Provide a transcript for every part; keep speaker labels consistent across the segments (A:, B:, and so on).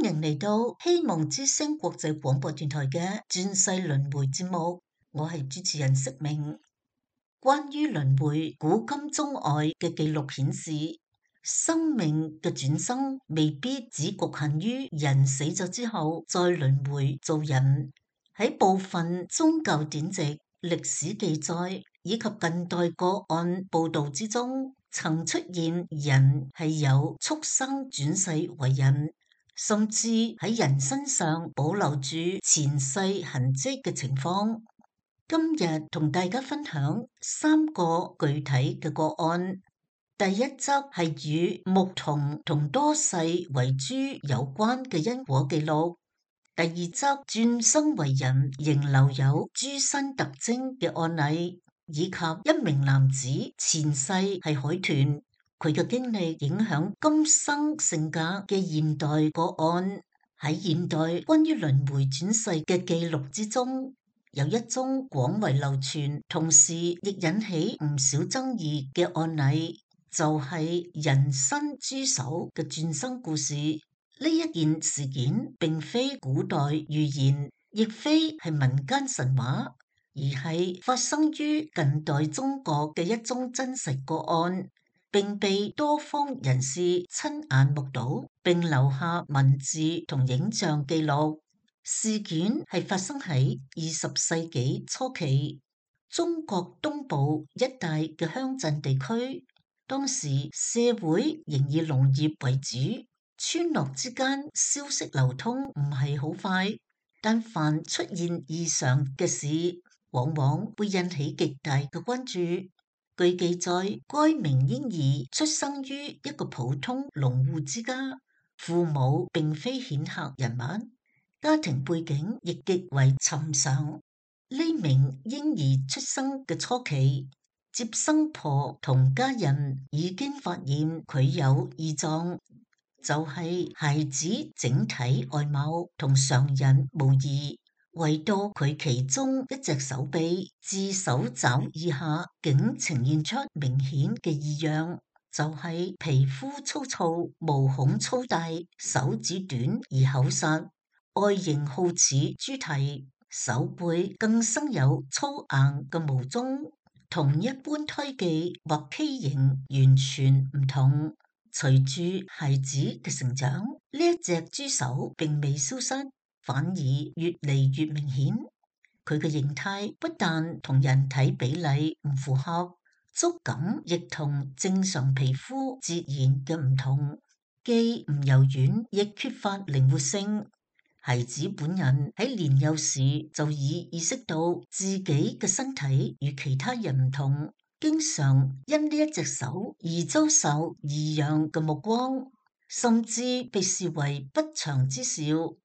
A: 迎嚟到希望之聲國際廣播電台嘅轉世輪迴節目，我係主持人釋明。關於輪迴，古今中外嘅記錄顯示，生命嘅轉生未必只局限於人死咗之後再輪迴做人。喺部分宗教典籍、歷史記載以及近代個案報道之中，曾出現人係有畜生轉世為人，甚至喺人身上保留住前世痕跡嘅情況。今日同大家分享3個具體嘅個案。第一則係與牧童同多世為豬有關嘅因果記錄。第二則轉生為人仍留有豬身特徵嘅案例，以及一名男子前世係海豚，佢嘅經歷影響今生性格嘅現代個案。喺現代關於輪迴轉世嘅記錄之中，有一宗廣為流傳，同時亦引起唔少爭議嘅案例，就係人身豬手嘅轉生故事。呢一件事件並非古代預言，亦非係民間神話，而係發生於近代中國嘅一宗真實個案，並被多方人士親眼目睹，並留下文字同影像記錄。事件係發生喺20世紀初期，中國東部一帶嘅鄉鎮地區，當時社會仍以農業為主，村落之間消息流通唔係好快，但凡出現異常嘅事，往往會引起極大嘅關注。據記載，該名嬰兒出生於一個普通農戶之家，父母並非顯赫人物，家庭背景亦極為尋常。呢名嬰兒出生嘅初期，接生婆同家人已經發現佢有異狀，就係孩子整體外貌同常人無異，唯獨佢其中一隻手臂至手肘以下竟呈現出明顯嘅異樣，就係皮膚粗糙、毛孔粗大、手指短而厚實，外形好似豬蹄，手背更生有粗硬嘅毛棕，同一般胎記或畸形完全唔同。隨住孩子嘅成長，呢一隻豬手並未消失，反而越嚟越明顯。佢嘅形態不但同人體比例唔符合，觸感亦同正常皮膚截然嘅唔同，既唔柔軟，亦缺乏靈活性。孩子本人喺年幼時就已意識到自己嘅身體與其他人唔同，經常因呢一隻手而遭受異樣嘅目光，甚至被視為不祥之兆。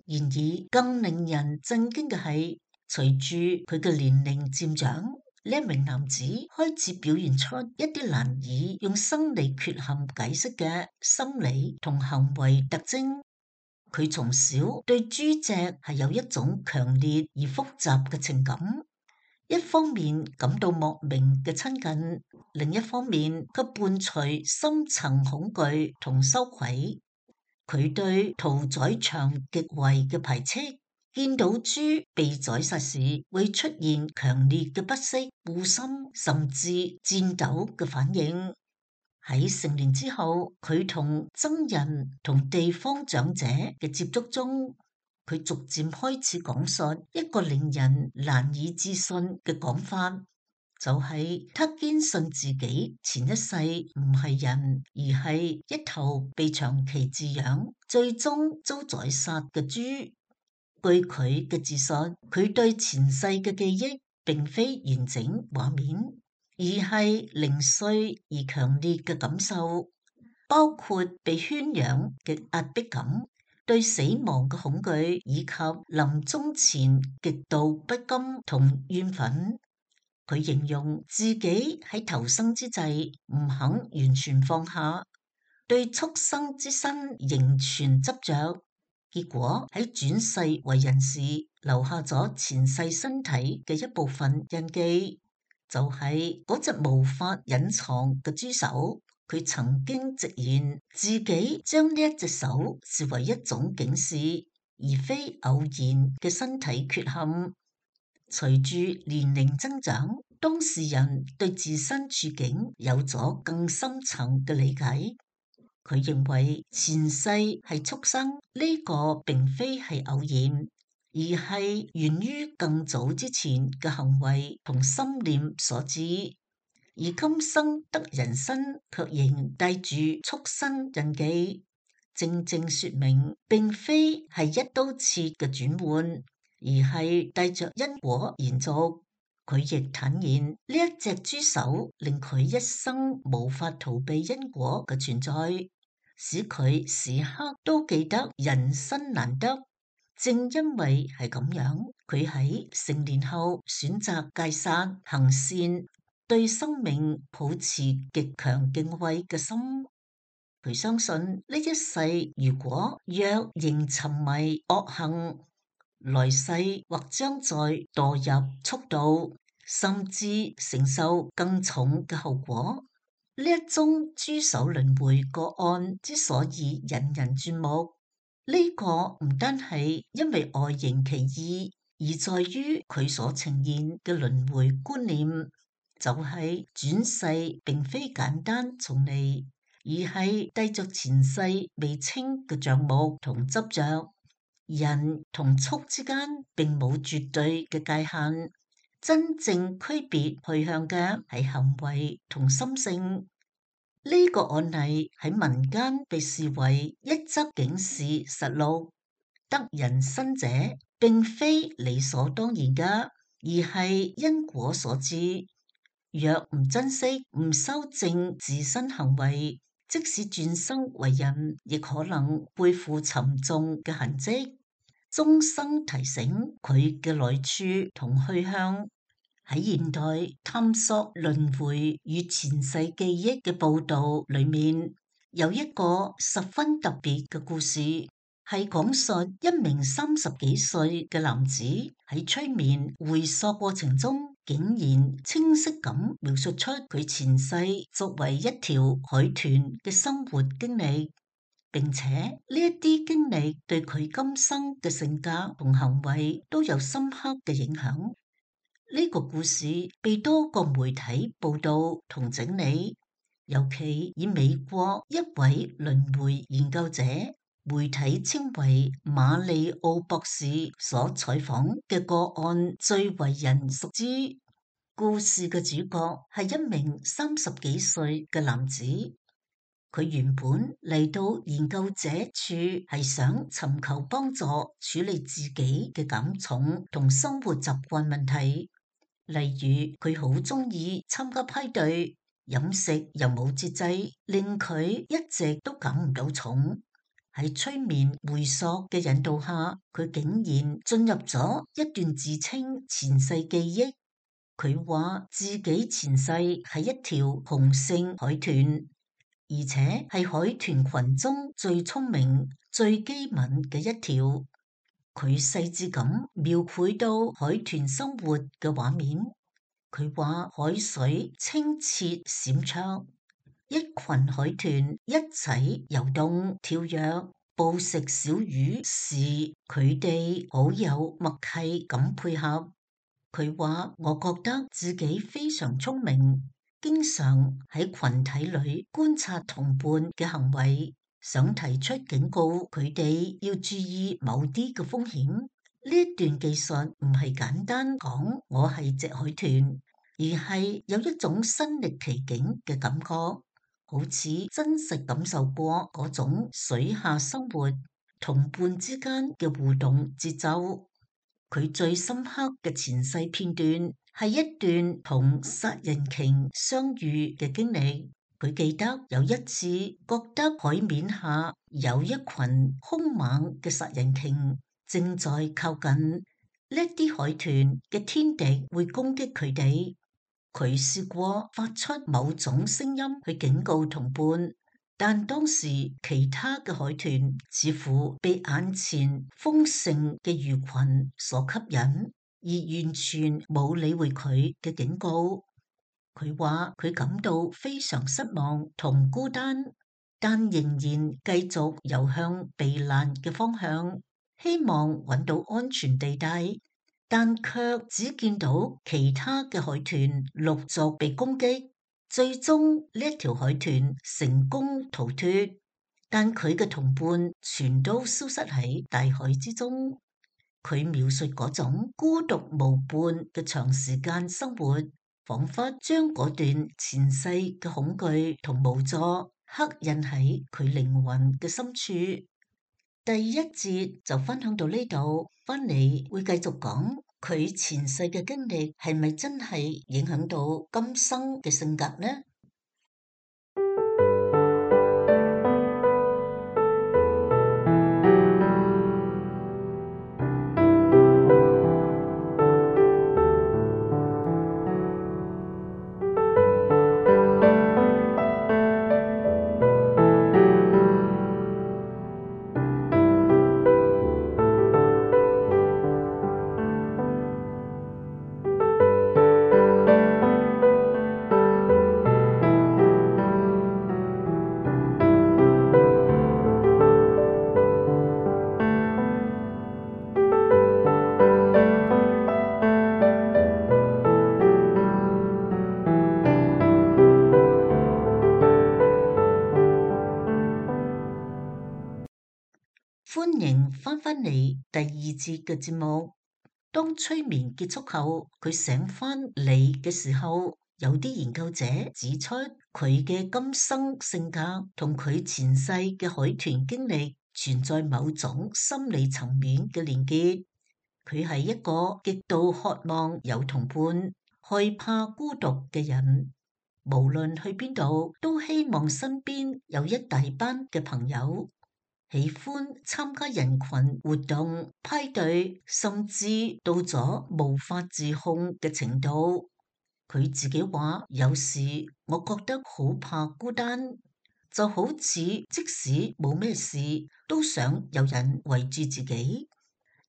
A: 然而，更令人震驚嘅係，隨住佢嘅年齡漸長，呢一名男子開始表現出一啲難以用生理缺陷解釋嘅心理同行為特徵。佢從小對豬隻係有一種強烈而複雜嘅情感。一方面感到莫名嘅親近，另一方面卻伴隨深層恐懼同羞愧。佢對屠宰場極為嘅排斥，見到豬被宰殺時會出現強烈嘅不適、惡心甚至顫抖嘅反應。喺成年之後，佢同僧人同地方長者嘅接觸中，佢逐漸開始講述一個令人難以置信嘅講法，就係他堅信自己前一世唔係人，而係一頭被長期飼養、最終遭宰殺嘅豬。據佢嘅自述，佢對前世嘅記憶並非完整畫面，而係零碎而強烈嘅感受，包括被圈養嘅壓迫感、對死亡嘅恐懼，以及臨終前極度不甘同怨憤。佢形容自己喺投生之際唔肯完全放下，對畜生之身仍存執着，結果喺轉世為人時留下咗前世身體嘅一部分印記，就係嗰隻無法隱藏嘅豬手。佢曾經直言自己將呢一隻手視為一種警示，而非偶然嘅身體缺陷。隨住年齡增長，當事人對自身處境有咗更深層嘅理解。佢認為前世係畜生，呢個並非係偶然，而係源於更早之前嘅行為同心念所致。而今生得人身，卻仍帶住畜生印記，正正說明並非係一刀切嘅轉換，而係帶着因果延續。佢亦坦言呢一隻豬手令佢一生無法逃避因果嘅存在，使佢時刻都記得人生難得。正因為係咁樣，佢喺成年後選擇戒殺行善，對生命抱持極強敬畏嘅心。佢相信呢一世如果若仍沉迷惡行，來世或將再墮入畜道，甚至承受更重嘅後果。呢一宗豬手輪迴個案之所以引人注目，呢個唔單係因為外形奇異，而在於佢所呈現嘅輪迴觀念，就係轉世並非簡單重嚟，而係帶着前世未清嘅帳目同執着。人同畜之間並冇絕對嘅界限，真正區別去向嘅係行為同心性。呢個案例喺民間被視為一則警示實錄，得人身者並非理所當然嘅，而係因果所致。若唔珍惜、唔修正自身行為，即使轉生為人，亦可能背負沉重嘅痕跡。終生提醒佢嘅來處同去向。喺現代探索輪迴與前世記憶嘅報道裏面，有一個十分特別嘅故事，係講述一名30幾歲嘅男子喺催眠回溯過程中，竟然清晰咁描述出佢前世作為一條海豚嘅生活經歷，並且呢一啲經歷對佢今生嘅性格同行為都有深刻嘅影響。呢個故事被多個媒體報道同整理，尤其以美國一位輪迴研究者，媒體稱為馬里奧博士所採訪嘅個案最為人熟知。故事嘅主角係一名30幾歲嘅男子，佢原本嚟到研究者處係想尋求幫助處理自己嘅減重同生活習慣問題。例如佢好鍾意參加派對，飲食又冇節制，令佢一直都減唔到重。喺催眠回溯嘅引導下，佢竟然進入咗一段自稱前世記憶。佢話自己前世係一條雄性海豚，而且係海豚群中最聰明、最機敏嘅一條。佢細緻咁描繪到海豚生活嘅畫面。佢話海水清澈閃爍，一群海豚一齊游動跳躍，捕食小魚時，佢哋好有默契咁配合。佢話我覺得自己非常聰明，經常喺群體裏觀察同伴嘅行為，想提出警告佢哋要注意某啲嘅風險。呢一段技術唔係簡單講我係隻海豚，而係有一種身歷其境嘅感覺，好似真實感受過嗰種水下生活同伴之間嘅互動節奏。佢最深刻嘅前世片段係一段同殺人鯨相遇嘅經歷。佢記得有一次覺得海面下有一群兇猛嘅殺人鯨正在靠近，呢啲海豚嘅天敵會攻擊佢哋。佢試過發出某種聲音去警告同伴，但當時其他嘅海豚似乎被眼前豐盛嘅魚群所吸引，而完全冇理會佢嘅警告。佢話佢感到非常失望同孤單，但仍然繼續游向避難嘅方向，希望揾到安全地帶，但卻只見到其他嘅海豚陸續被攻擊，最終呢一條海豚成功逃脫，但佢嘅同伴全都消失喺大海之中。佢描述嗰種孤獨無伴嘅長時間生活，彷彿將嗰段前世嘅恐懼同無助刻印喺佢靈魂嘅深處。第一節就分享到呢度，返嚟會繼續講佢前世嘅經歷係咪真係影響到今生嘅性格呢？歡迎翻返嚟第二節嘅節目。當催眠結束後，佢醒返嚟嘅時候，有啲研究者指出佢嘅今生性格同佢前世嘅海豚經歷存在某種心理層面嘅連結。佢係一個極度渴望有同伴、害怕孤獨嘅人，無論去邊度都希望身邊有一大班嘅朋友。喜歡參加人群活動、派對，甚至到咗無法自控嘅程度。佢自己話：有時我覺得好怕孤單，就好似即使冇咩事，都想有人圍住自己。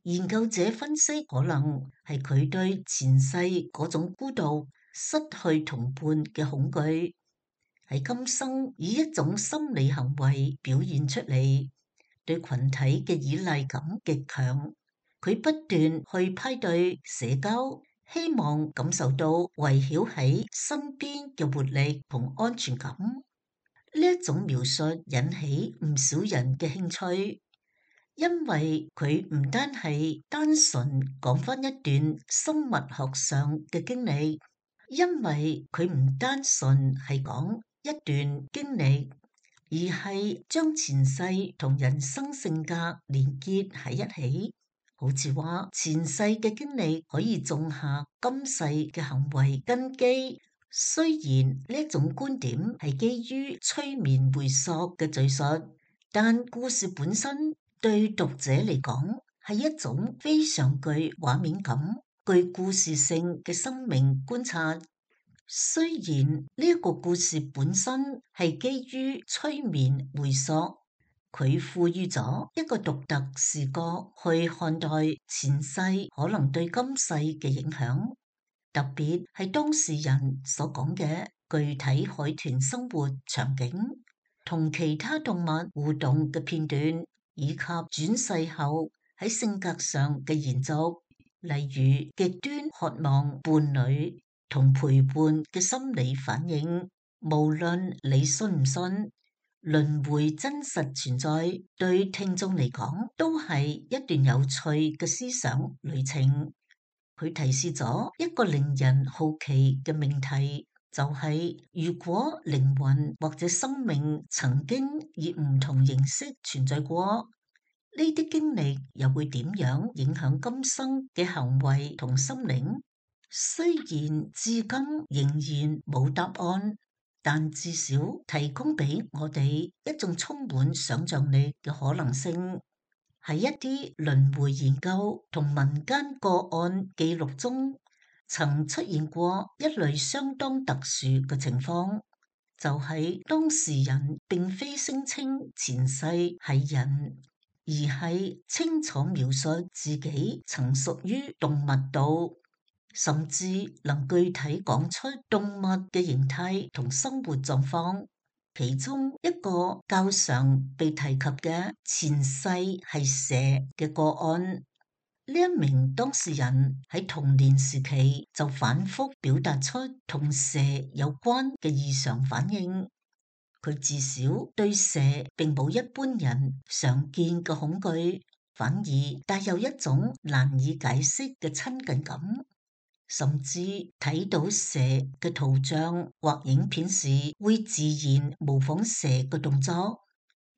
A: 研究者分析，可能係佢對前世嗰種孤獨、失去同伴嘅恐懼，喺今生以一種心理行為表現出嚟。對群體嘅依賴感極強，佢不斷去派對社交，希望感受到圍繞喺身邊嘅活力同安全感。呢一種描述引起唔少人嘅興趣，因為佢唔單係單純講返一段生物學上嘅經歷，因為佢唔單純係講一段經歷。而係將前世同人生性格連結喺一起，好似話前世嘅經歷可以種下今世嘅行為根基。雖然呢一種觀點係基於催眠回溯嘅敘述，但故事本身對讀者嚟講係一種非常具畫面感、具故事性嘅生命觀察。雖然呢一個故事本身係基於催眠回溯，佢賦予咗一個獨特視角去看待前世可能對今世嘅影響，特別係當事人所講嘅具體海豚生活場景，同其他動物互動嘅片段，以及轉世後喺性格上嘅延續，例如極端渴望伴侶同陪伴嘅心理反應。無論你信唔信，輪迴真實存在，對聽眾嚟講都係一段有趣嘅思想旅程。佢提示咗一個令人好奇嘅命題，就係如果靈魂或者生命曾經以唔同形式存在過，呢啲經歷又會點樣影響今生嘅行為同心靈？雖然至今仍然冇答案，但至少提供俾我哋一種充滿想象力嘅可能性。喺一啲輪迴研究同民間個案記錄中，曾出現過一類相當特殊嘅情況，就係當事人並非聲稱前世係人，而係清楚描述自己曾屬於動物道。甚至能具體講出動物嘅形態同生活狀況。其中一個較常被提及嘅前世係蛇嘅個案，呢一名當事人喺童年時期就反覆表達出同蛇有關嘅異常反應。佢至少對蛇並冇一般人常見嘅恐懼，反而帶有一種難以解釋嘅親近感。甚至睇到蛇嘅圖像或影片時，會自然模仿蛇嘅動作，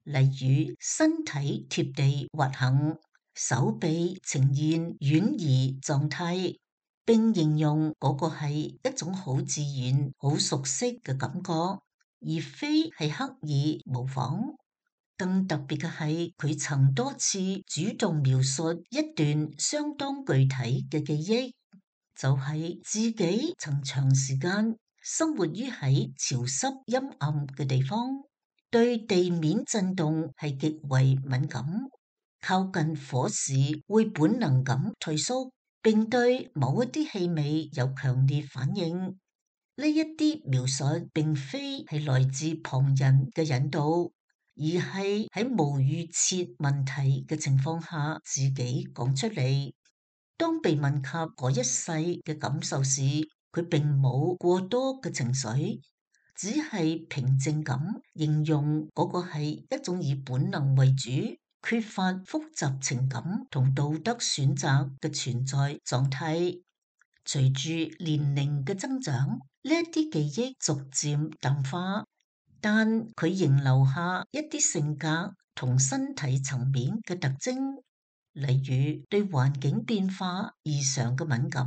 A: 例如身體貼地滑行，手臂呈現軟移狀態，並形容嗰個係一種好自然、好熟悉嘅感覺，而非係刻意模仿。更特別嘅係，佢曾多次主動描述一段相當具體嘅記憶。就係自己曾長時間生活於喺潮濕陰暗嘅地方，對地面震動係極為敏感，靠近火時會本能咁退縮，並對某一啲氣味有強烈反應。呢一啲描述並非係來自旁人嘅引導，而係喺無預設問題嘅情況下自己講出嚟。當被問及嗰一世嘅感受時，佢並冇過多嘅情緒，只係平靜咁形容嗰個係一種以本能為主、缺乏複雜情感同道德選擇嘅存在狀態。隨住年齡嘅增長，呢一啲記憶逐漸淡化，但佢仍留下一啲性格同身體層面嘅特徵。例如對環境變化異常嘅敏感，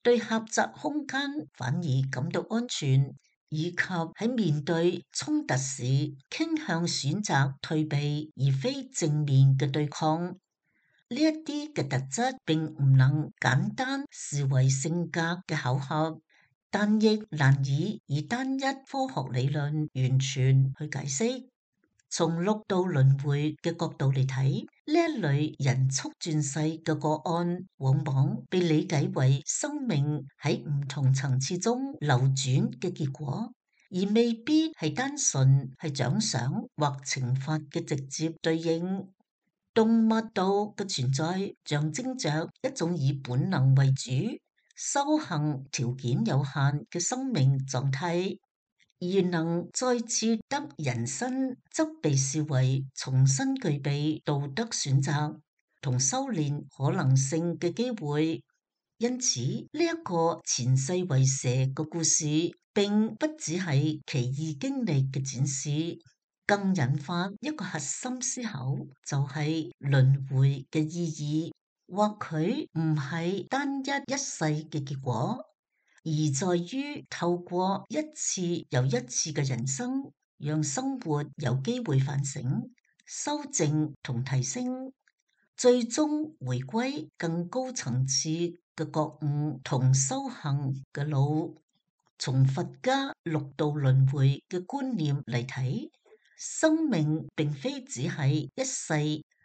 A: 對狹窄空間反而感到安全，以及喺面對衝突時傾向選擇退避而非正面嘅對抗。呢一啲嘅特質並唔能簡單視為性格嘅巧合，但亦難以單一科學理論完全去解釋。從六道輪迴嘅角度嚟睇，呢一類人畜轉世嘅個案，往往被理解為生命喺唔同層次中流轉嘅結果，而未必係單純係獎賞或懲罰嘅直接對應。動物道嘅存在象徵着一種以本能為主、修行條件有限嘅生命狀態。而能再次得人身，則被視為重新具備道德選擇同修煉可能性嘅機會。因此，呢一個前世為蛇嘅故事，並不只係奇異經歷嘅展示，更引發一個核心思考，就係輪迴嘅意義，或許唔係單一世嘅結果。而在於透過一次又一次嘅人生，讓生活有機會反省、修正同提升，最終回歸更高層次嘅覺悟同修行嘅路。從佛家六道輪迴嘅觀念嚟睇，生命並非只係一世，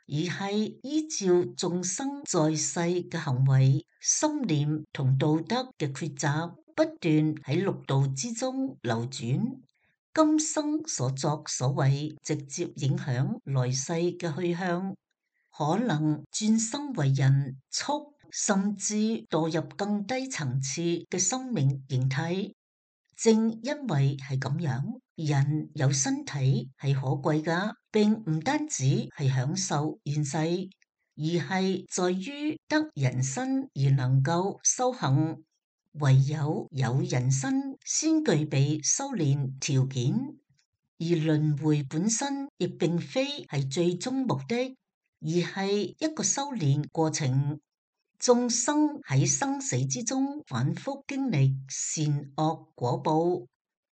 A: 而係依照眾生在世嘅行為、心念同道德嘅抉擇，不斷喺六道之中流轉。今生所作所為，直接影響來世嘅去向，可能轉生為人、畜，甚至墮入更低層次嘅生命形態。正因為係咁樣，人有身體係可貴㗎，並唔單止係享受現世，而係在於得人身而能夠修行。唯有有人身，先具備修煉條件。而輪迴本身亦並非係最終目的，而係一個修煉過程。眾生喺生死之中反覆經歷善惡果報，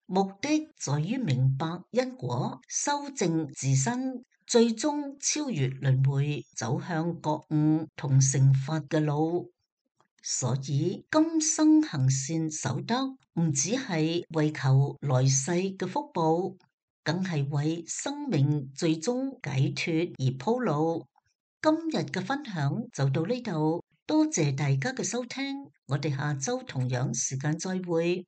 A: 目的在於明白因果，修正自身，最終超越輪迴，走向覺悟同成佛嘅路。所以今生行善守德，唔只係為求來世嘅福報，更係為生命最終解脫而鋪路。今日嘅分享就到呢度。多謝大家嘅收聽，我哋下周同樣時間再會。